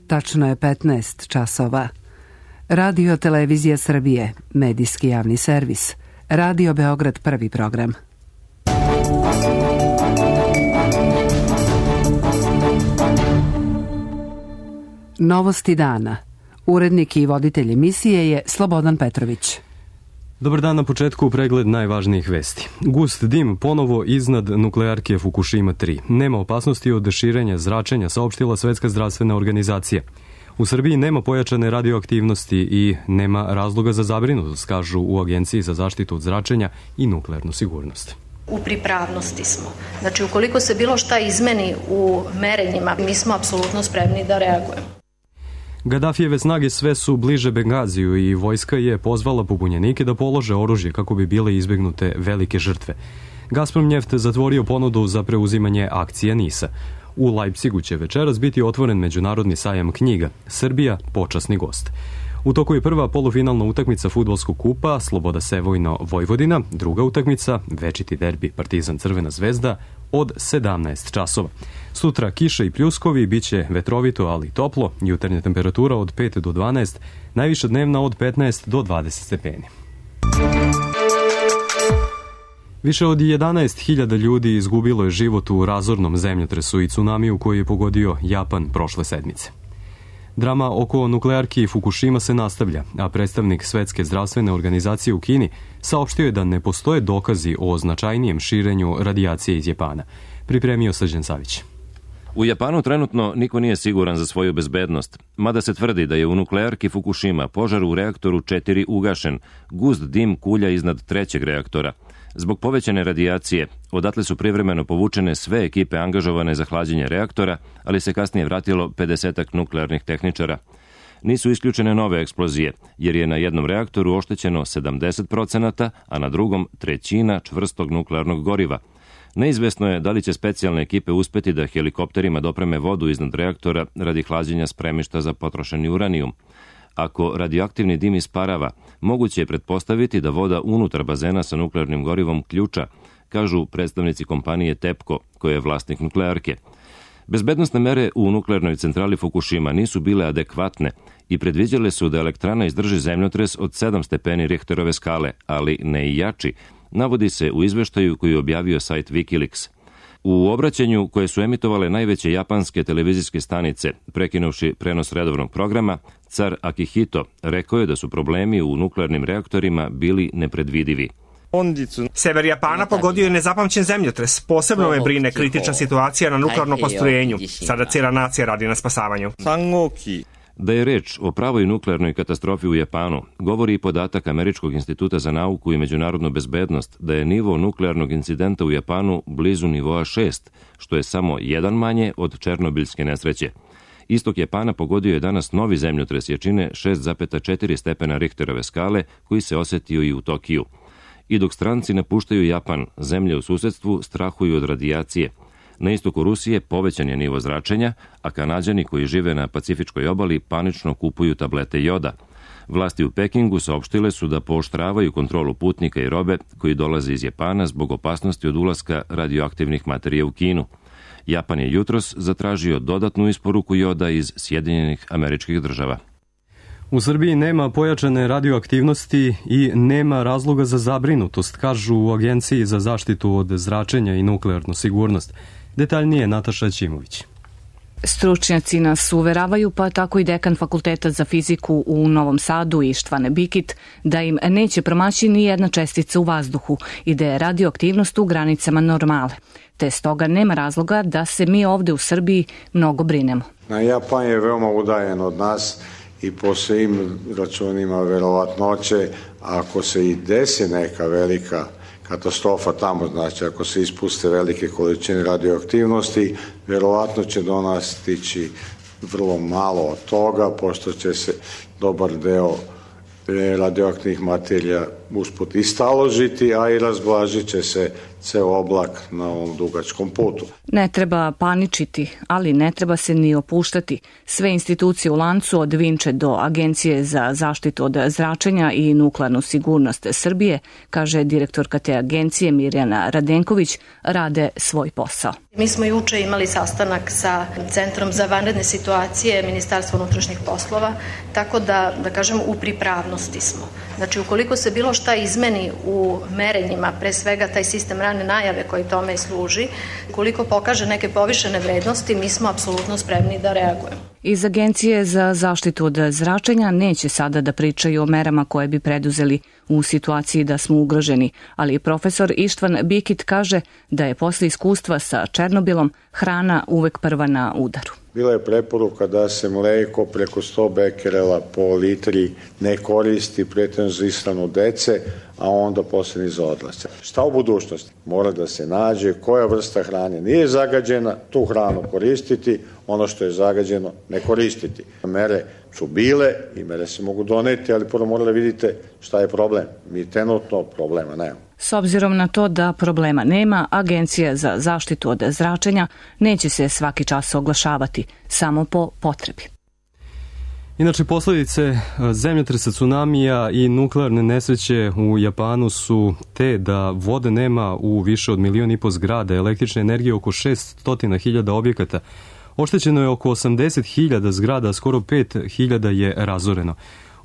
Tačno je 15 časova. Radio Televizija Srbije, medijski javni servis. Radio Beograd, prvi program. Novosti dana. Urednik i voditelj emisije je Slobodan Petrović. Dobar dan, na početku pregled najvažnijih vesti. Gust dim ponovo iznad nuklearke Fukushima 3. Nema opasnosti od širenja zračenja, saopštila Svetska zdravstvena organizacija. U Srbiji nema pojačane radioaktivnosti i nema razloga za zabrinutost, kažu u Agenciji za zaštitu od zračenja i nuklearnu sigurnost. U pripravnosti smo. Znači, ukoliko se bilo šta izmeni u merenjima, mi smo apsolutno spremni da reagujemo. Gadafijeve snage sve su bliže Bengaziju i vojska je pozvala pobunjenike da polože oružje kako bi bile izbegnute velike žrtve. Gazprom Njeft zatvorio ponudu za preuzimanje akcija NIS-a. U Leipzigu će večeras biti otvoren međunarodni sajam knjiga. Srbija, počasni gost. U toku je prva polufinalna utakmica fudbalskog kupa Sloboda Sevojno Vojvodina, druga utakmica večiti derbi Partizan Crvena zvezda od 17 časova. Sutra kiša i pljuskovi, biće vetrovito ali toplo, jutarnja temperatura od 5 do 12, najviša dnevna od 15 do 20 stepeni. Više od 11.000 ljudi izgubilo je život u razornom zemljotresu i tsunamiju koji je pogodio Japan prošle sedmice. Drama oko nuklearki Fukushima se nastavlja, a predstavnik Svetske zdravstvene organizacije u Kini saopštio je da ne postoje dokazi o značajnijem širenju radijacije iz Japana. Pripremio Srđan Savić. U Japanu trenutno niko nije siguran za svoju bezbednost, mada se tvrdi da je u nuklearki Fukushima požar u reaktoru 4 ugašen, gust dim kulja iznad trećeg reaktora. Zbog povećane radijacije, odatle su privremeno povučene sve ekipe angažovane za hlađenje reaktora, ali se kasnije vratilo 50-ak nuklearnih tehničara. Nisu isključene nove eksplozije, jer je na jednom reaktoru oštećeno 70%, a na drugom 1/3 čvrstog nuklearnog goriva. Neizvesno je da li će specijalne ekipe uspeti da helikopterima dopreme vodu iznad reaktora radi hlađenja spremišta za potrošeni uranijum. Ako radioaktivni dim isparava, moguće je pretpostaviti da voda unutar bazena sa nuklearnim gorivom ključa, kažu predstavnici kompanije TEPCO, koja je vlasnik nuklearke. Bezbednosne mere u nuklearnoj centrali Fukushima nisu bile adekvatne i predviđale su da elektrana izdrži zemljotres od 7 stepeni Richterove skale, ali ne i jači, navodi se u izveštaju koji je objavio sajt Wikileaks. U obraćanju koje su emitovale najveće japanske televizijske stanice, prekinuvši prenos redovnog programa, car Akihito rekao je da su problemi u nuklearnim reaktorima bili nepredvidivi. Sever Japana pogodio je nezapamćen zemljotres. Posebno me brine kritična situacija na nuklearnom postrojenju. Sada cijela nacija radi na spasavanju. Da je reč o pravoj nuklearnoj katastrofi u Japanu, govori i podatak Američkog instituta za nauku i međunarodnu bezbednost da je nivo nuklearnog incidenta u Japanu blizu nivoa 6, što je samo jedan manje od Černobiljske nesreće. Istok Japana pogodio je danas novi zemljotres jačine 6,4 stepena Richterove skale, koji se osetio i u Tokiju. I dok stranci napuštaju Japan, zemlje u susedstvu strahuju od radijacije. Na istoku Rusije povećan je nivo zračenja, a Kanađani koji žive na Pacifičkoj obali panično kupuju tablete joda. Vlasti u Pekingu saopštile su da pooštravaju kontrolu putnika i robe koji dolaze iz Japana zbog opasnosti od ulaska radioaktivnih materija u Kinu. Japan je jutros zatražio dodatnu isporuku joda iz Sjedinjenih Američkih Država. U Srbiji nema pojačane radioaktivnosti i nema razloga za zabrinutost, kažu u Agenciji za zaštitu od zračenja i nuklearnu sigurnost. Detaljnije Nataša Ćimović. Stručnjaci nas uveravaju, pa tako i dekan Fakulteta za fiziku u Novom Sadu Ištvane Bikić, da im neće promaći ni jedna čestica u vazduhu i da je radioaktivnost u granicama normale. Te stoga nema razloga da se mi ovde u Srbiji mnogo brinemo. Japan je veoma udaljen od nas i po svim računima verovatnoće, ako se i desi neka velika katastrofa tamo, znači ako se ispuste velike količine radioaktivnosti, verovatno će do nas stići vrlo malo od toga, pošto će se dobar deo radioaktivnih materija usput i staložiti, a i razblažit će se ceo oblak na ovom dugačkom putu. Ne treba paničiti, ali ne treba se ni opuštati. Sve institucije u lancu od Vinče do Agencije za zaštitu od zračenja i nuklearnu sigurnost Srbije, kaže direktorka te agencije Mirjana Radenković, rade svoj posao. Mi smo juče imali sastanak sa Centrom za vanredne situacije Ministarstva unutrašnjih poslova, tako da kažem, u pripravnosti smo. Znači, ukoliko se bilo šta izmeni u merenjima, pre svega taj sistem rane najave koji tome služi, ukoliko pokaže neke povišene vrednosti, mi smo apsolutno spremni da reagujemo. Iz Agencije za zaštitu od zračenja neće sada da pričaju o merama koje bi preduzeli u situaciji da smo ugroženi, ali profesor Ištvan Bikit kaže da je posle iskustva sa Černobilom hrana uvek prva na udaru. Bila je preporuka da se mleko preko 100 bekerela po litri ne koristi pretežno za ishranu dece, a onda posle ni za odrasle. Šta u budućnosti? Mora da se nađe koja vrsta hrane nije zagađena, tu hranu koristiti, ono što je zagađeno ne koristiti. Mere su bile i mere se mogu doneti, ali prvo morali vidite šta je problem. Mi trenutno problema nemamo. S obzirom na to da problema nema, Agencija za zaštitu od zračenja neće se svaki čas oglašavati, samo po potrebi. Inače, posljedice zemljotresa, tsunamija i nuklearne nesreće u Japanu su te da vode nema u više od 1,5 miliona zgrada, električne energije oko 600.000 objekata. Oštećeno je oko 80.000 zgrada, skoro 5.000 je razoreno.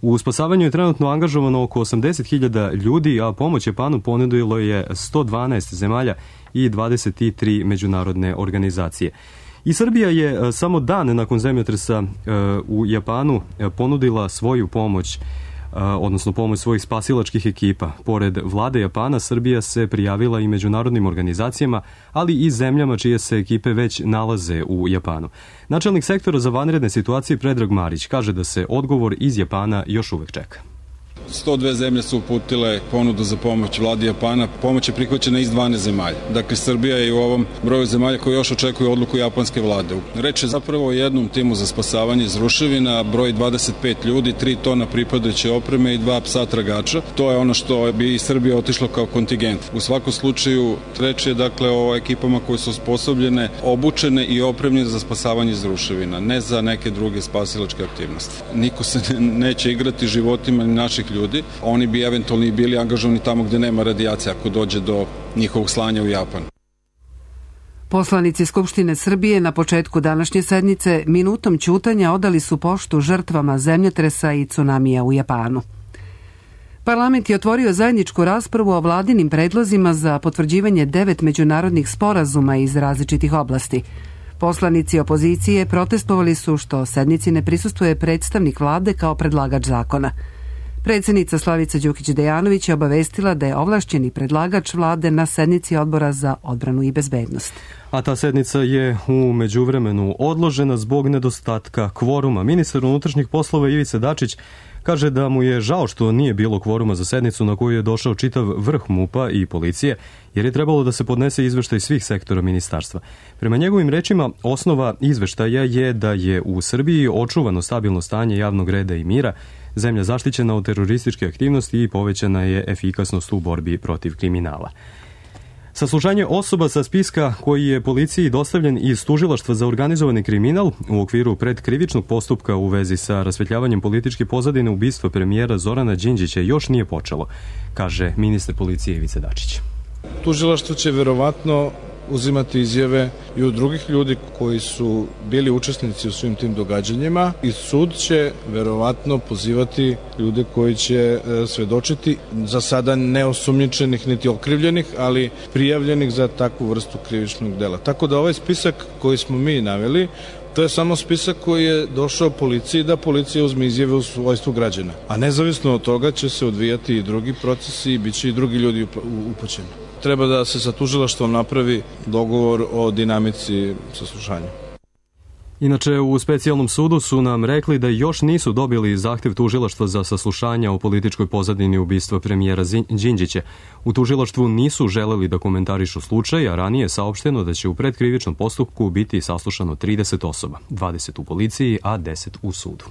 U spasavanju je trenutno angažovano oko 80.000 ljudi, a pomoć Japanu ponudilo je 112 zemalja i 23 međunarodne organizacije. I Srbija je samo dan nakon zemljotresa u Japanu ponudila svoju pomoć, odnosno pomoć svojih spasilačkih ekipa. Pored vlade Japana, Srbija se prijavila i međunarodnim organizacijama, ali i zemljama čije se ekipe već nalaze u Japanu. Načelnik sektora za vanredne situacije Predrag Marić kaže da se odgovor iz Japana još uvek čeka. 102 zemlje su uputile ponudu za pomoć vladi Japana. Pomoć je prihvaćena iz 12 zemalja. Dakle, Srbija je u ovom broju zemalja koji još očekuju odluku japanske vlade. Reč je zapravo o jednom timu za spasavanje iz ruševina, broj 25 ljudi, 3 tona pripadajuće opreme i 2 psa tragača. To je ono što bi Srbija otišlo kao kontingent. U svakom slučaju, reč je dakle o ekipama koje su osposobljene, obučene i opremljene za spasavanje iz ruševina, ne za neke druge spasilačke aktivnosti. Niko se neće igrati životima ni naših ljudi. Oni bi eventualno bili angažovani tamo gde nema radijacije ako dođe do njihovog slanja u Japan. Poslanici Skupštine Srbije na početku današnje sednice minutom ćutanja odali su poštu žrtvama zemljotresa i tsunamija u Japanu. Parlament je otvorio zajedničku raspravu o vladinim predlozima za potvrđivanje 9 međunarodnih sporazuma iz različitih oblasti. Poslanici opozicije protestovali su što sednici ne prisustvuje predstavnik vlade kao predlagač zakona. Predsjednica Slavica Đukić-Dejanović je obavestila da je ovlašćeni predlagač vlade na sednici Odbora za odbranu i bezbednost. A ta sednica je u međuvremenu odložena zbog nedostatka kvoruma. Ministar unutrašnjih poslova Ivica Dačić kaže da mu je žao što nije bilo kvoruma za sednicu na koju je došao čitav vrh MUP-a i policije, jer je trebalo da se podnese izveštaj svih sektora ministarstva. Prema njegovim rečima, osnova izveštaja je da je u Srbiji očuvano stabilno stanje javnog reda i mira, zemlja zaštićena od terorističke aktivnosti i povećana je efikasnost u borbi protiv kriminala. Saslušanje osoba sa spiska koji je policiji dostavljen iz Tužilaštva za organizovani kriminal u okviru predkrivičnog postupka u vezi sa rasvetljavanjem političke pozadine ubistva premijera Zorana Đinđića još nije počelo, kaže ministar policije Ivica Dačić. Tužilaštvo će verovatno uzimati izjave i od drugih ljudi koji su bili učesnici u svim tim događanjima i sud će verovatno pozivati ljude koji će svedočiti, za sada neosumnjičenih niti okrivljenih, ali prijavljenih za takvu vrstu krivičnog dela. Tako da ovaj spisak koji smo mi naveli, to je samo spisak koji je došao policiji da policija uzme izjave u svojstvu građana. A nezavisno od toga će se odvijati i drugi procesi i bit će i drugi ljudi upućeni. Treba da se sa tužilaštvom napravi dogovor o dinamici saslušanja. Inače, u specijalnom sudu su nam rekli da još nisu dobili zahtev tužilaštva za saslušanja o političkoj pozadini ubistva premijera Đinđića. U tužilaštvu nisu želeli da komentarišu slučaj, a ranije je saopšteno da će u predkrivičnom postupku biti saslušano 30 osoba, 20 u policiji, a 10 u sudu.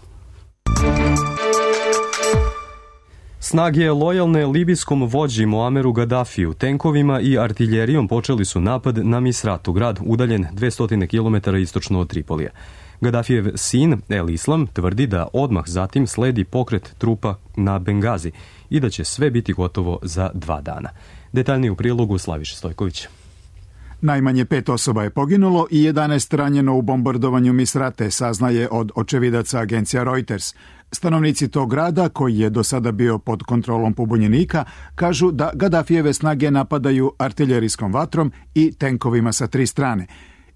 Snage lojalne libijskom vođi Muameru Gadafiju tenkovima i artiljerijom počeli su napad na Misratu, grad udaljen 200 km istočno od Tripolija. Gadafijev sin El Islam tvrdi da odmah zatim sledi pokret trupa na Bengazi i da će sve biti gotovo za 2 dana. Detaljnije u prilogu Slaviša Stojković. Najmanje 5 osoba je poginulo i 11 ranjeno u bombardovanju Misrate, saznaje od očevidaca agencija Reuters. Stanovnici tog grada, koji je do sada bio pod kontrolom pobunjenika, kažu da Gadafijeve snage napadaju artiljerijskom vatrom i tenkovima sa 3 strane.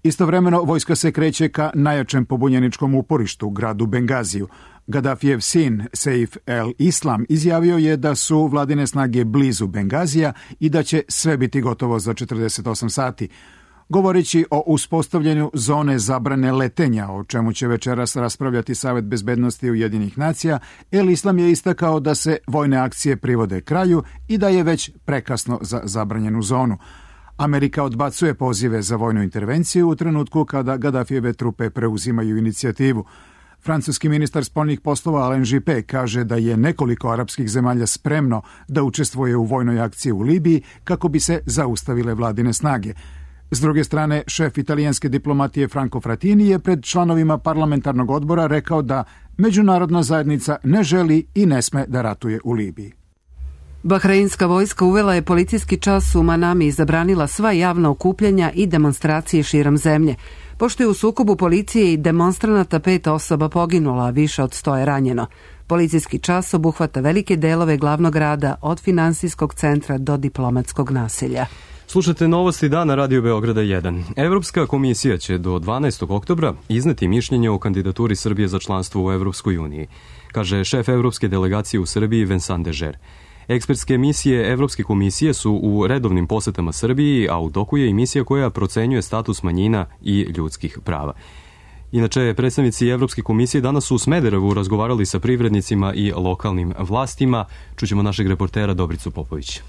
Istovremeno, vojska se kreće ka najjačem pobunjeničkom uporištu, gradu Bengaziju. Gadafijev sin, Seif El Islam, izjavio je da su vladine snage blizu Bengazija i da će sve biti gotovo za 48 sati. Govoreći o uspostavljanju zone zabrane letenja, o čemu će večeras raspravljati Savet bezbednosti Ujedinjenih nacija, El Islam je istakao da se vojne akcije privode kraju i da je već prekasno za zabranjenu zonu. Amerika odbacuje pozive za vojnu intervenciju u trenutku kada Gadafijeve trupe preuzimaju inicijativu. Francuski ministar spoljnih poslova Alain Juppé kaže da je nekoliko arapskih zemalja spremno da učestvuje u vojnoj akciji u Libiji kako bi se zaustavile vladine snage. S druge strane, šef italijanske diplomatije Franco Frattini je pred članovima parlamentarnog odbora rekao da međunarodna zajednica ne želi i ne sme da ratuje u Libiji. Bahreinska vojska uvela je policijski čas u Manami i zabranila sva javna okupljanja i demonstracije širom zemlje. Pošto je u sukobu policije i demonstranata 5 osoba poginula, a više od 100 je ranjeno. Policijski čas obuhvata velike delove glavnog grada od finansijskog centra do diplomatskog naselja. Slušate novosti dana Radio Beograda 1. Evropska komisija će do 12. oktobra izneti mišljenje o kandidaturi Srbije za članstvo u Evropskoj uniji, kaže šef Evropske delegacije u Srbiji Vincent Dežer. Ekspertske misije Evropske komisije su u redovnim posetama Srbiji, a u toku je i misija koja procenjuje status manjina i ljudskih prava. Inače, predstavnici Evropske komisije danas su u Smederevu razgovarali sa privrednicima i lokalnim vlastima. Čućemo našeg reportera Dobricu Popović.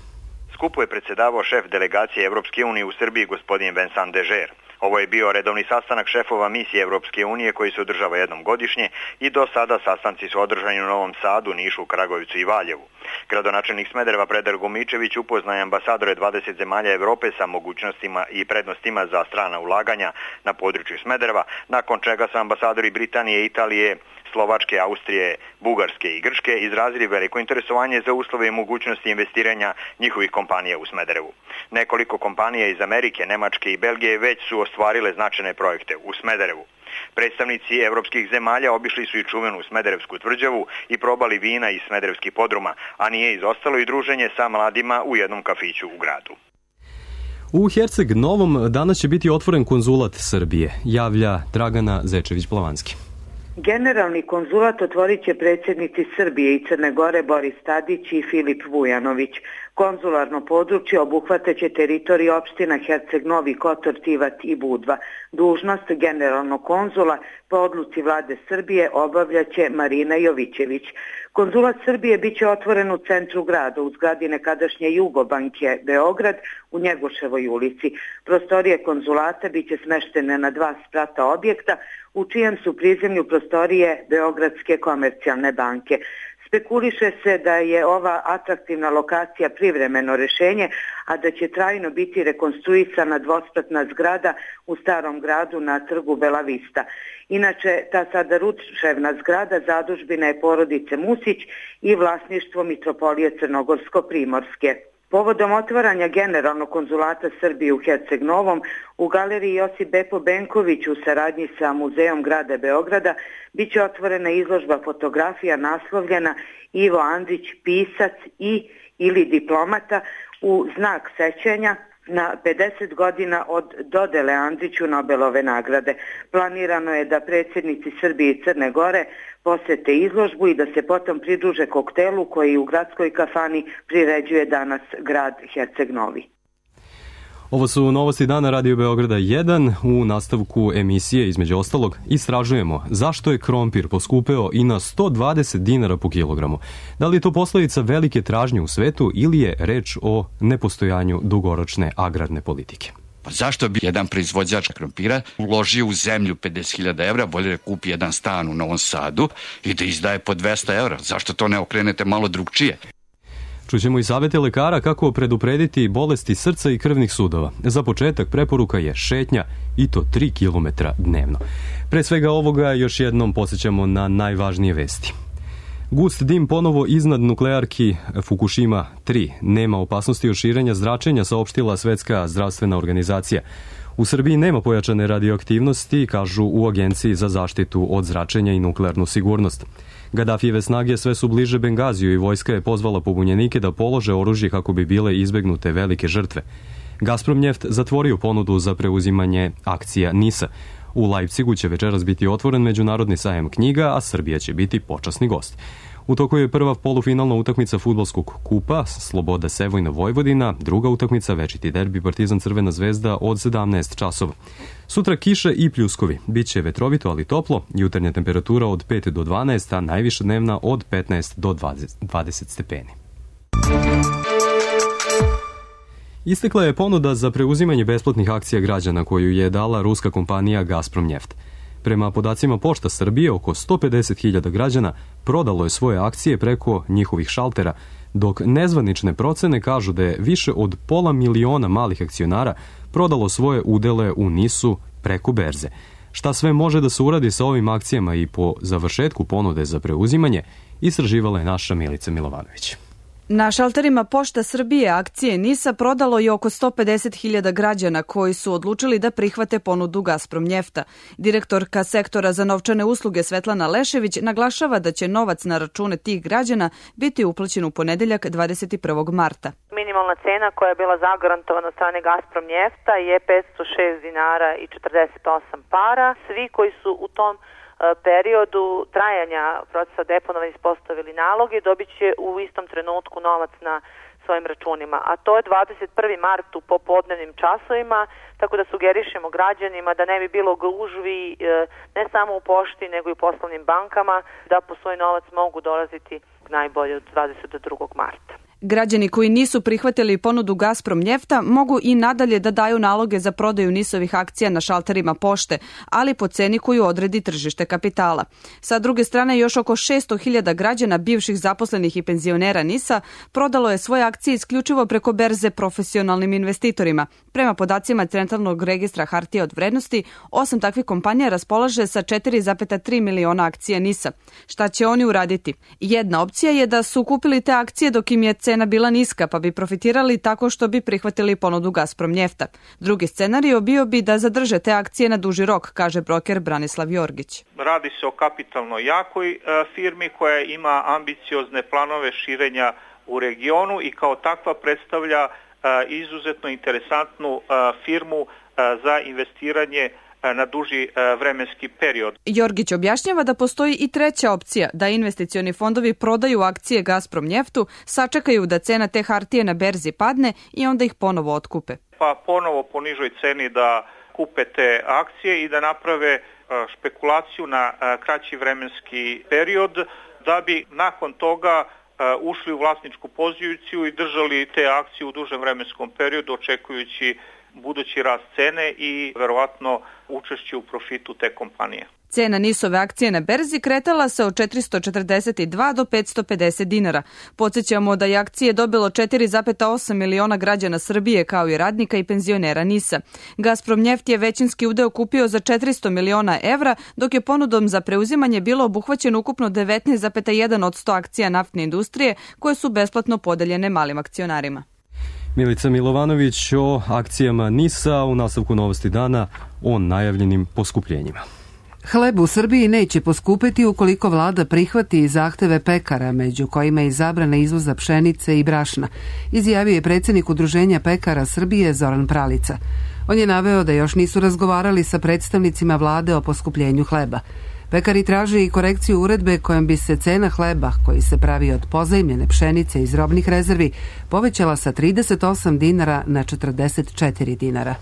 Skupu je predsjedavao šef delegacije Evropske unije u Srbiji, gospodin Vincent Dežer. Ovo je bio redovni sastanak šefova misije Evropske unije koji se održava jednom godišnje i do sada sastanci su održani u Novom Sadu, Nišu, Kragujevcu i Valjevu. Gradonačelnik Smedereva Predrag Gomičević upoznaje ambasadore 20 zemalja Evrope sa mogućnostima i prednostima za strana ulaganja na području Smedereva, nakon čega su ambasadori Britanije, Italije, Slovačke, Austrije, Bugarske i Grčke izrazili veliko interesovanje za uslove i mogućnosti investiranja njihovih kompanija u Smederevu. Nekoliko kompanija iz Amerike, Nemačke i Belgije već su ostvarile značajne projekte u Smederevu. Predstavnici evropskih zemalja obišli su i čuvenu Smederevsku tvrđavu i probali vina iz smederevskih podruma, a nije izostalo i druženje sa mladima u jednom kafiću u gradu. U Herceg Novom danas će biti otvoren konzulat Srbije, javlja Dragana Zečević-Plavanski. Generalni konzulat otvorit će predsjednici Srbije i Crne Gore Boris Tadić i Filip Vujanović. Konzularno područje obuhvataće teritoriju opština Herceg Novi, Kotor, Tivat i Budva. Dužnost generalnog konzula po odluci vlade Srbije obavljaće Marina Jovićević. Konzulat Srbije biće otvoren u centru grada, u zgradi nekadašnje Jugobanke Beograd u Njegoševoj ulici. Prostorije konzulata biće smeštene na 2 sprata objekta, u čijem su prizemlju prostorije Beogradske komercijalne banke. Spekuliše se da je ova atraktivna lokacija privremeno rešenje, a da će trajno biti rekonstruisana dvospratna zgrada u Starom gradu na trgu Bela Vista. Inače, ta sada ruševna zgrada zadužbina je porodice Musić i vlasništvo Mitropolije Crnogorsko-Primorske. Povodom otvaranja generalnog konzulata Srbije u Herceg Novom, u galeriji Josip Bepo Benković u saradnji sa Muzejom grada Beograda biće otvorena izložba fotografija naslovljena Ivo Andrić, pisac ili diplomata, u znak sećanja na 50 godina od dodele Andriću Nobelove nagrade. Planirano je da predsjednici Srbije i Crne Gore posete izložbu i da se potom pridruže koktelu koji u gradskoj kafani priređuje danas grad Herceg Novi. Ovo su novosti dana Radio Beograda 1. U nastavku emisije, između ostalog, istražujemo zašto je krompir poskupeo i na 120 dinara po kilogramu. Da li je to posledica velike tražnje u svetu ili je reč o nepostojanju dugoročne agrarne politike? Pa zašto bi jedan proizvođač krompira uložio u zemlju 50.000 evra, bolje da kupi jedan stan u Novom Sadu i da izdaje po 200 evra? Zašto to ne okrenete malo drugčije? Čućemo i savete lekara kako preduprediti bolesti srca i krvnih sudova. Za početak preporuka je šetnja i to 3 km dnevno. Pre svega ovoga još jednom podsjećamo na najvažnije vesti. Gust dim ponovo iznad nuklearki Fukushima 3. Nema opasnosti od širenja zračenja, saopštila Svetska zdravstvena organizacija. U Srbiji nema pojačane radioaktivnosti, kažu u Agenciji za zaštitu od zračenja i nuklearnu sigurnost. Gadafijeve snage sve su bliže Bengaziju i vojska je pozvala pobunjenike da polože oružje kako bi bile izbegnute velike žrtve. Gazprom Njeft zatvorio ponudu za preuzimanje akcija NIS-a. U Leipzigu će večeras biti otvoren međunarodni sajam knjiga, a Srbija će biti počasni gost. U toku je prva polufinalna utakmica fudbalskog kupa Sloboda Sevojna Vojvodina, druga utakmica večiti derbi Partizan Crvena zvezda od 17 časova. Sutra kiše i pljuskovi. Biće vetrovito, ali toplo, jutarnja temperatura od 5 do 12, a najviša dnevna od 15 do 20 stepeni. Istekla je ponuda za preuzimanje besplatnih akcija građana koju je dala ruska kompanija Gazprom Njeft. Prema podacima Pošta Srbije, oko 150.000 građana prodalo je svoje akcije preko njihovih šaltera, dok nezvanične procene kažu da je više od 500.000 malih akcionara prodalo svoje udele u NIS-u preko berze. Šta sve može da se uradi sa ovim akcijama i po završetku ponude za preuzimanje, istraživala je naša Milica Milovanović. Na šalterima Pošta Srbije akcije NIS-a prodalo je oko 150.000 građana koji su odlučili da prihvate ponudu Gazprom Njefta. Direktorka sektora za novčane usluge Svetlana Lešević naglašava da će novac na račune tih građana biti uplaćen u ponedeljak 21. marta. Minimalna cena koja je bila zagarantovana od strane Gazprom Njefta je 506 dinara i 48 para. Svi koji su u tom periodu trajanja procesa deponovanja ispostavili naloge, dobit će u istom trenutku novac na svojim računima. A to je 21. mart u popodnevnim časovima, tako da sugerišemo građanima da ne bi bilo gužvi ne samo u pošti, nego i u poslovnim bankama, da po svoj novac mogu dolaziti najbolje od 22. marta. Građani koji nisu prihvatili ponudu Gazprom Njefta mogu i nadalje da daju naloge za prodaju NIS-ovih akcija na šalterima pošte, ali po ceni koju odredi tržište kapitala. Sa druge strane, još oko 600.000 građana bivših zaposlenih i penzionera NIS-a prodalo je svoje akcije isključivo preko berze profesionalnim investitorima. Prema podacima Centralnog registra hartija od vrednosti, 8 takvih kompanija raspolaže sa 4,3 miliona akcija NIS-a. Šta će oni uraditi? Jedna opcija je da su kupili te akcije dok im je cena bila niska, pa bi profitirali tako što bi prihvatili ponudu Gazprom Njefta. Drugi scenario bio bi da zadrže te akcije na duži rok, kaže broker Branislav Jorgić. Radi se o kapitalno jakoj firmi koja ima ambiciozne planove širenja u regionu i kao takva predstavlja izuzetno interesantnu firmu za investiranje na duži vremenski period. Jorgić objašnjava da postoji i treća opcija, da investicioni fondovi prodaju akcije Gazprom Njeftu, sačekaju da cena te hartije na berzi padne i onda ih ponovo otkupe. Pa ponovo po nižoj ceni da kupe te akcije i da naprave špekulaciju na kraći vremenski period, da bi nakon toga ušli u vlasničku poziciju i držali te akcije u dužem vremenskom periodu, očekujući budući rast cene i verovatno učešće u profitu te kompanije. Cena NIS-ove akcije na berzi kretala se od 442 do 550 dinara. Podsjećamo da je akcije dobilo 4,8 miliona građana Srbije kao i radnika i penzionera NIS-a. Gazprom Njeft je većinski udeo kupio za 400 miliona evra, dok je ponudom za preuzimanje bilo obuhvaćeno ukupno 19,1% akcija naftne industrije koje su besplatno podeljene malim akcionarima. Milica Milovanović o akcijama NIS-a u nastavku Novosti dana o najavljenim poskupljenjima. Hleb u Srbiji neće poskupeti ukoliko vlada prihvati zahteve pekara, među kojima je zabrana izvoza pšenice i brašna, izjavio je predsjednik Udruženja pekara Srbije Zoran Pralica. On je naveo da još nisu razgovarali sa predstavnicima vlade o poskupljenju hleba. Pekari traže i korekciju uredbe kojom bi se cena hleba, koji se pravi od pozajmljene pšenice iz robnih rezervi, povećala sa 38 dinara na 44 dinara.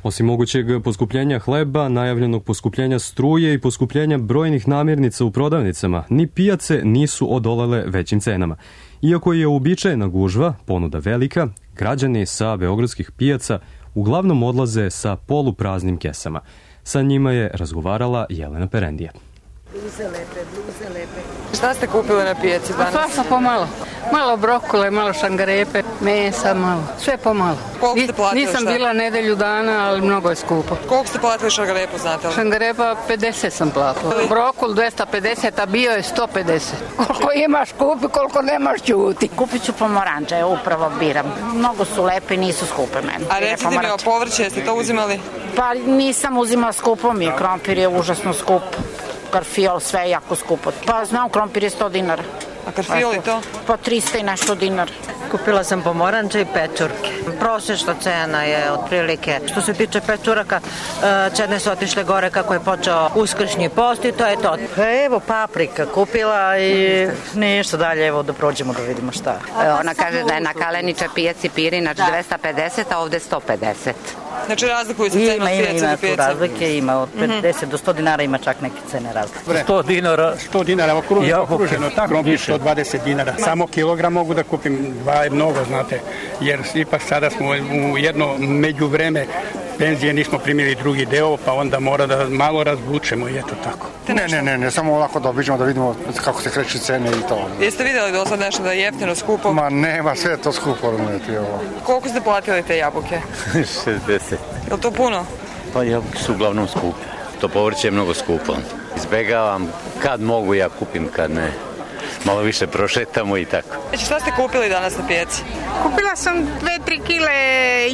Osim mogućeg poskupljenja hleba, najavljenog poskupljenja struje i poskupljenja brojnih namirnica u prodavnicama, ni pijace nisu odolele većim cenama. Iako je uobičajena gužva, ponuda velika, građani sa beogradskih pijaca uglavnom odlaze sa polupraznim kesama. Sa njima je razgovarala Jelena Perendija. Bluze lepe. Šta ste kupili na pijaci danas? Svašta pomalo. Malo brokule, malo šangarepe, mesa, malo. Sve pomalo. Koliko ste platili? Nisam bila nedelju dana, ali mnogo je skupo. Koliko ste platili šangarepu, znate li? Šangarepa 50 sam platila. Brokul 250, a bio je 150. Koliko imaš kupi, koliko nemaš ćuti. Kupit ću pomoranđe, upravo biram. Mnogo su lepe, nisu skupe meni. A recite mi o povrće, jeste to uzimali? Pa nisam uzimala skupo mi, krompir je užasno skup. Karfiol, sve je jako skupo. Pa znam, krompir je 100 dinara. A karfiol i to? Pa 300 i nešto dinara. Kupila sam pomoranđe i pečurke. Prosječna cena je otprilike. Što se tiče pečuraka, cene su otišle gore kako je počeo uskršnji post i to je to. Evo paprika kupila i ništa dalje, evo da prođemo da vidimo šta. Ona kaže da je na Kalenića pijaci pirinač 250, a ovde 150. Znači razlikuju se cene od pijaca do pijaca? Razlike ima, od 50 do 100 dinara ima čak neke cene razlike. 100 dinara okruženo, tako više 120 dinara. Samo kilogram mogu da kupim, 2 je mnogo, znate, jer ipak sada smo u jedno međuvreme penzije nismo primili drugi deo, pa onda mora da malo razvučemo i eto tako. Ne, samo ovako da obiđemo da vidimo kako se kreću cene i to. Jeste vidjeli do sad nešto da je jeftino, skupo? Ma nema, sve je to skupo. Koliko ste platili te jabuke? 60. Je li to puno? Pa jabuke su uglavnom skupe. To povrće je mnogo skupo. Izbegavam, kad mogu ja kupim, kad ne. Malo više prošetamo i tako. Šta ste kupili danas na pijaci? Kupila sam 2-3 kile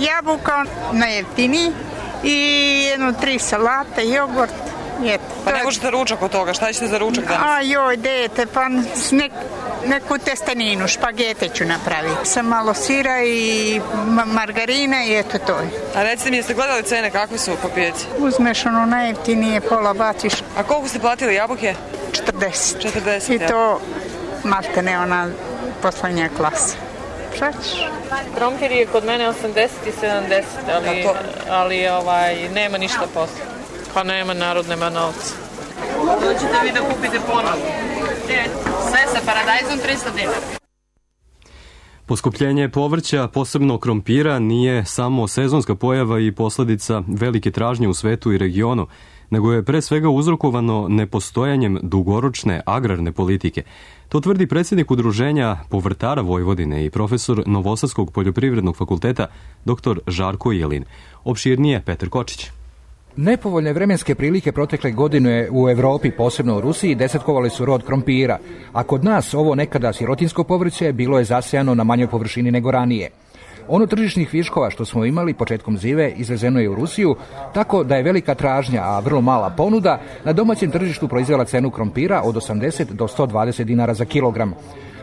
jabuka na jeftini i 3 salate, jogurt. Pa ne možete ručak od toga, šta ćete za ručak danas? Dete, pa neku testeninu, špagete ću napraviti. Sam malo sira i margarina i eto to je. A recite mi, jeste gledali cene, kakve su po pijaci? Uzmeš najjeftinije, pola baciš. A koliko ste platili jabuke? 40. I to malte ne ona poslednja klasa. Šta ćeš? Krompir je kod mene 80 i 70, ali nema ništa posle. Pa nema, narod nema novca. Dođete vi da kupite ponovo. Sve sa paradajzom 300 dinara. Poskupljenje povrća, posebno krompira, nije samo sezonska pojava i posledica velike tražnje u svetu i regionu, nego je pre svega uzrokovano nepostojanjem dugoročne agrarne politike. To tvrdi predsjednik Udruženja povrtara Vojvodine i profesor Novosadskog poljoprivrednog fakulteta dr. Žarko Jelin. Opširnije Petar Kočić. Nepovoljne vremenske prilike protekle godine u Evropi, posebno u Rusiji, desetkovali su rod krompira, a kod nas ovo nekada sirotinsko povrće bilo je zasejano na manjoj površini nego ranije. Ono tržišnih viškova što smo imali početkom zive izvezeno je u Rusiju, tako da je velika tražnja, a vrlo mala ponuda, na domaćem tržištu proizvela cenu krompira od 80 do 120 dinara za kilogram.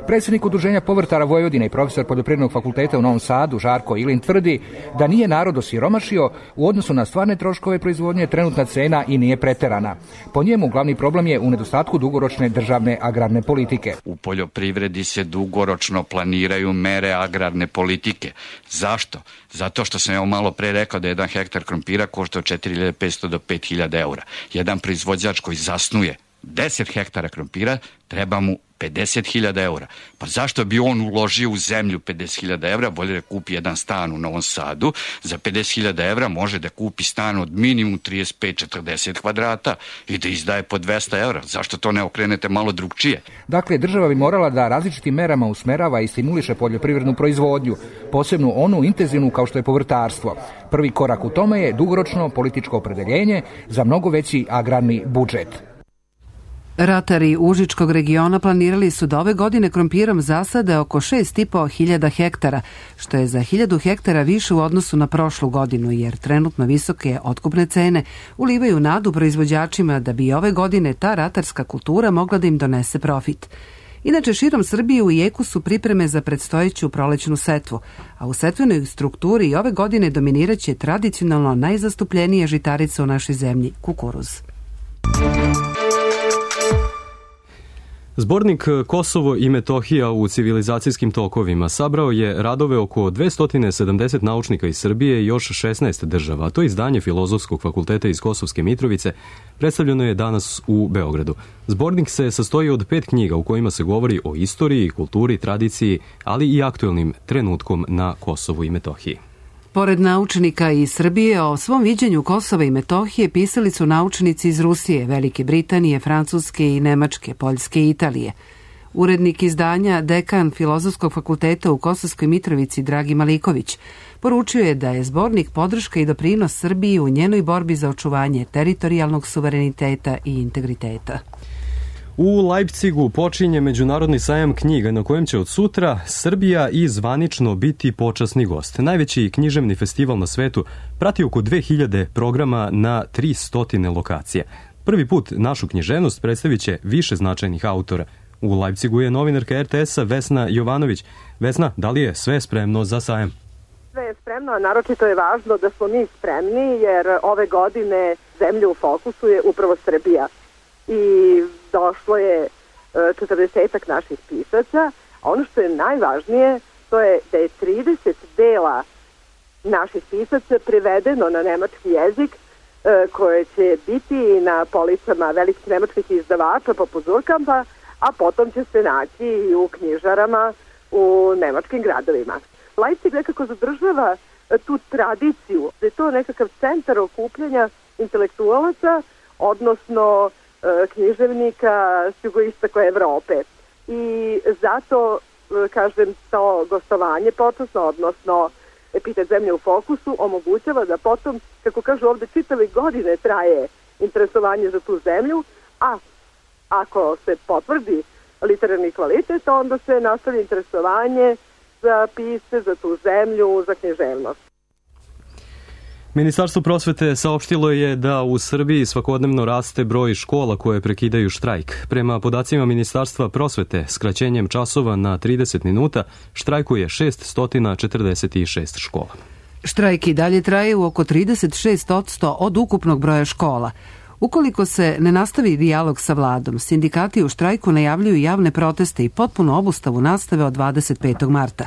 Predsjednik Udruženja povrtara Vojvodine i profesor Poljoprivrednog fakulteta u Novom Sadu, Žarko Ilin, tvrdi da nije narod osiromašio, u odnosu na stvarne troškove proizvodnje trenutna cena i nije preterana. Po njemu glavni problem je u nedostatku dugoročne državne agrarne politike. U poljoprivredi se dugoročno planiraju mere agrarne politike. Zašto? Zato što sam evo malo pre rekao da 1 hektar krompira košta od 4.500 do 5.000 eura. Jedan proizvođač koji zasnuje 10 hektara krompira treba mu 50.000 eura. Pa zašto bi on uložio u zemlju 50.000 eura, bolje da kupi jedan stan u Novom Sadu, za 50.000 eura može da kupi stan od minimum 35-40 kvadrata i da izdaje po 200 eura. Zašto to ne okrenete malo drugčije? Dakle, država bi morala da različitim merama usmerava i stimuliše poljoprivrednu proizvodnju, posebno onu intenzivnu kao što je povrtarstvo. Prvi korak u tome je dugoročno političko opredeljenje za mnogo veći agrarni budžet. Ratari Užičkog regiona planirali su da ove godine krompirom zasade oko 6.500 hektara, što je za 1.000 hektara više u odnosu na prošlu godinu, jer trenutno visoke otkupne cene ulivaju nadu proizvođačima da bi ove godine ta ratarska kultura mogla da im donese profit. Inače, širom Srbije u jeku su pripreme za predstojeću prolećnu setvu, a u setvenoj strukturi ove godine dominiraće tradicionalno najzastupljenija žitarica u našoj zemlji – kukuruz. Zbornik Kosovo i Metohija u civilizacijskim tokovima sabrao je radove oko 270 naučnika iz Srbije i još 16 država. To izdanje Filozofskog fakulteta iz Kosovske Mitrovice predstavljeno je danas u Beogradu. Zbornik se sastoji od 5 knjiga u kojima se govori o istoriji, kulturi, tradiciji, ali i aktuelnim trenutkom na Kosovu i Metohiji. Pored naučnika iz Srbije, o svom viđenju Kosova i Metohije pisali su naučnici iz Rusije, Velike Britanije, Francuske i Nemačke, Poljske i Italije. Urednik izdanja, dekan Filozofskog fakulteta u Kosovskoj Mitrovici Dragi Maliković poručio je da je zbornik podrška i doprinos Srbiji u njenoj borbi za očuvanje teritorijalnog suvereniteta i integriteta. U Leipzigu počinje Međunarodni sajam knjiga na kojem će od sutra Srbija i zvanično biti počasni gost. Najveći književni festival na svetu prati oko 2000 programa na 300 lokacija. Prvi put našu književnost predstavit će više značajnih autora. U Leipzigu je novinarka RTS-a Vesna Jovanović. Vesna, da li je sve spremno za sajam? Sve je spremno, a naročito je važno da smo mi spremni, jer ove godine zemlja u fokusu je upravo Srbija. I došlo je 40-ak naših pisaca, a ono što je najvažnije, to je da je 30 dela naših pisaca prevedeno na nemački jezik, koje će biti na policama velikih nemačkih izdavača poput Zurkampa, a potom će se naći i u knjižarama u nemačkim gradovima. Leipzig nekako zadržava tu tradiciju, da je to nekakav centar okupljanja intelektualaca, odnosno književnika s jugoistoka Evrope. I zato, kažem, to gostovanje počasno, odnosno Epitet zemlje u fokusu, omogućava da potom, kako kažu ovde, čitave godine traje interesovanje za tu zemlju, a ako se potvrdi literarni kvalitet, onda se nastavi interesovanje za pisce, za tu zemlju, za književnost. Ministarstvo prosvete saopštilo je da u Srbiji svakodnevno raste broj škola koje prekidaju štrajk. Prema podacima Ministarstva prosvete, skraćenjem časova na 30 minuta štrajkuje 646 škola. Štrajk i dalje traje u oko 36% od ukupnog broja škola. Ukoliko se ne nastavi dijalog sa vladom, sindikati u štrajku najavljuju javne proteste i potpunu obustavu nastave od 25. marta.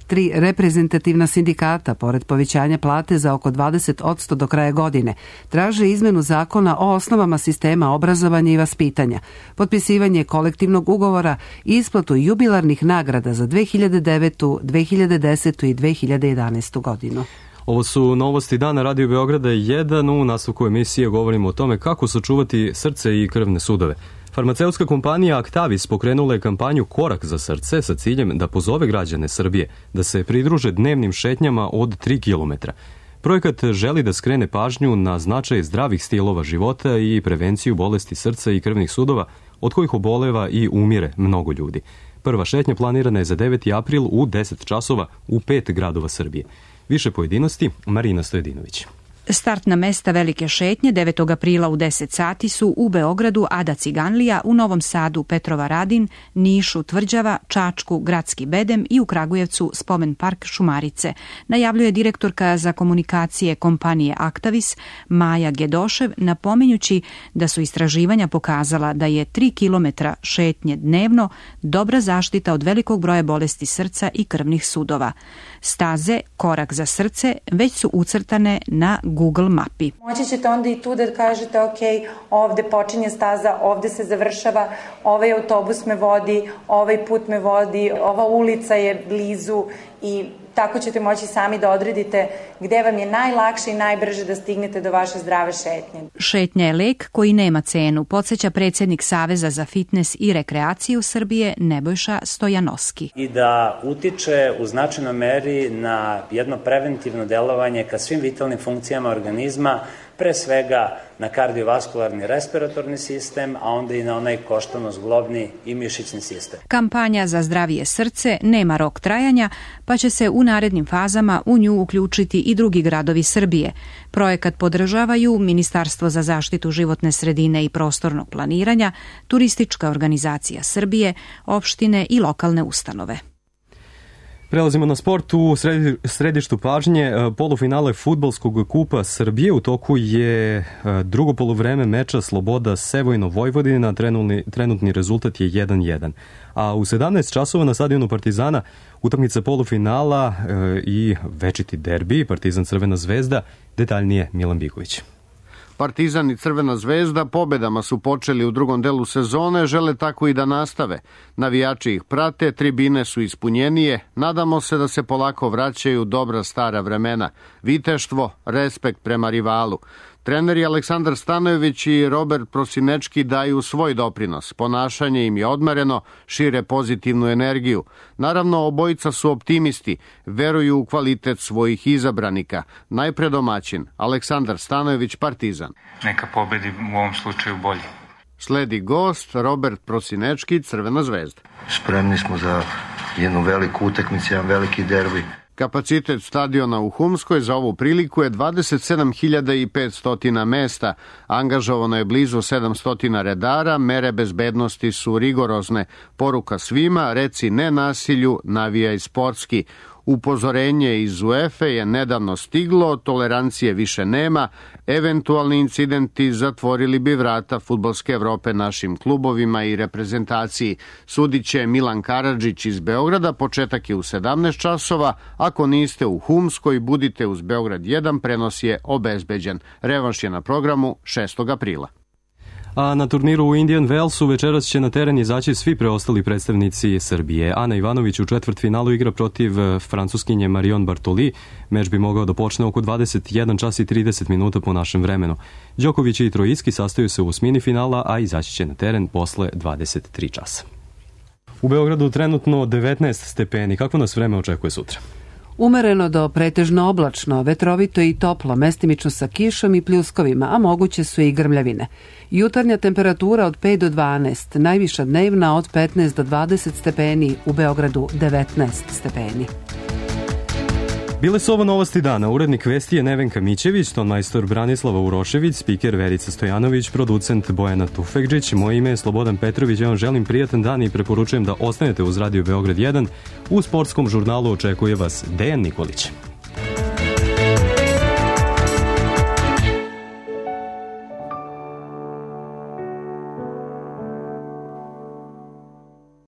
3 reprezentativna sindikata, pored povećanja plate za oko 20% do kraja godine, traže izmenu zakona o osnovama sistema obrazovanja i vaspitanja, potpisivanje kolektivnog ugovora i isplatu jubilarnih nagrada za 2009., 2010. i 2011. godinu. Ovo su novosti dana Radio Beograda 1. U nastavku emisije govorimo o tome kako sačuvati srce i krvne sudove. Farmaceutska kompanija Actavis pokrenula je kampanju Korak za srce sa ciljem da pozove građane Srbije da se pridruže dnevnim šetnjama od 3 km. Projekat želi da skrene pažnju na značaj zdravih stilova života i prevenciju bolesti srca i krvnih sudova, od kojih oboleva i umire mnogo ljudi. Prva šetnja planirana je za 9. april u 10 časova u 5 gradova Srbije. Više pojedinosti, Marina Stojedinović. Startna mesta velike šetnje 9. aprila u 10 sati su u Beogradu Ada Ciganlija, u Novom Sadu Petrova Radin, Nišu Tvrđava, Čačku Gradski Bedem i u Kragujevcu Spomen park Šumarice, najavljuje direktorka za komunikacije kompanije Actavis Maja Gedošev, napominjući da su istraživanja pokazala da je 3 km šetnje dnevno dobra zaštita od velikog broja bolesti srca i krvnih sudova. Staze Korak za srce već su ucrtane na Google mapi. Moći ćete onda i tu da kažete ok, ovde počinje staza, ovde se završava, ovaj autobus me vodi, ovaj put me vodi, ova ulica je blizu i tako ćete moći sami da odredite gde vam je najlakše i najbrže da stignete do vaše zdrave šetnje. Šetnja je lek koji nema cenu, podsjeća predsjednik Saveza za fitnes i rekreaciju Srbije Nebojša Stojanoski. I da utiče u značajnoj meri na jedno preventivno delovanje ka svim vitalnim funkcijama organizma, pre svega na kardiovaskularni respiratorni sistem, a onda i na onaj koštano-zglobni i mišićni sistem. Kampanja za zdravije srce nema rok trajanja, pa će se u narednim fazama u nju uključiti i drugi gradovi Srbije. Projekat podržavaju Ministarstvo za zaštitu životne sredine i prostornog planiranja, Turistička organizacija Srbije, opštine i lokalne ustanove. Prelazimo na sport. U središtu pažnje polufinale fudbalskog kupa Srbije. U toku je drugo poluvreme meča Sloboda Sevojno Vojvodina. Trenutni rezultat je 1-1. A u 17 časova na stadionu Partizana utakmica polufinala i večiti derbi Partizan Crvena zvezda. Detaljnije Milan Biković. Partizan i Crvena zvezda pobedama su počeli u drugom delu sezone, žele tako i da nastave. Navijači ih prate, tribine su ispunjenije, nadamo se da se polako vraćaju dobra stara vremena. Viteštvo, respekt prema rivalu. Treneri Aleksandar Stanojević i Robert Prosinečki daju svoj doprinos. Ponašanje im je odmereno, šire pozitivnu energiju. Naravno, obojica su optimisti, veruju u kvalitet svojih izabranika. Najpre domaćin, Aleksandar Stanojević, Partizan. Neka pobedi u ovom slučaju bolje. Sledi gost, Robert Prosinečki, Crvena zvezda. Spremni smo za jednu veliku utakmicu, jedan veliki derbi. Kapacitet stadiona u Humskoj za ovu priliku je 27.500 mesta. Angažovano je blizu 700 redara, mere bezbednosti su rigorozne. Poruka svima, reci ne nasilju, navijaj sportski. Upozorenje iz UEFA je nedavno stiglo, tolerancije više nema, eventualni incidenti zatvorili bi vrata fudbalske Evrope našim klubovima i reprezentaciji. Sudit će Milan Karadžić iz Beograda, početak je u 17 časova, ako niste u Humskoj, budite uz Beograd 1, prenos je obezbeđen. Revanš je na programu 6. aprila. A na turniru u Indian Wellsu večeras će na teren izaći svi preostali predstavnici Srbije. Ana Ivanović u četvrtfinalu igra protiv Francuskinje Marion Bartoli. Meč bi mogao da počne oko 21 čas i 30 minuta po našem vremenu. Đoković i Trojicki sastaju se u osmini finala, a izaći će na teren posle 23 časa. U Beogradu trenutno 19 stepeni. Kako nas vreme očekuje sutra? Umereno do pretežno oblačno, vetrovito i toplo, mestimično sa kišom i pljuskovima, a moguće su i grmljavine. Jutarnja temperatura od 5 do 12, najviša dnevna od 15 do 20 stepeni, u Beogradu 19 stepeni. Bile su ovo novosti dana. Urednik vesti je Nevenka Mićević, tonmajstor Branislava Urošević, spiker Verica Stojanović, producent Bojana Tufekđić. Moje ime je Slobodan Petrović. Ja vam želim prijatan dan i preporučujem da ostanete uz Radio Beograd 1. U sportskom žurnalu očekuje vas Dejan Nikolić.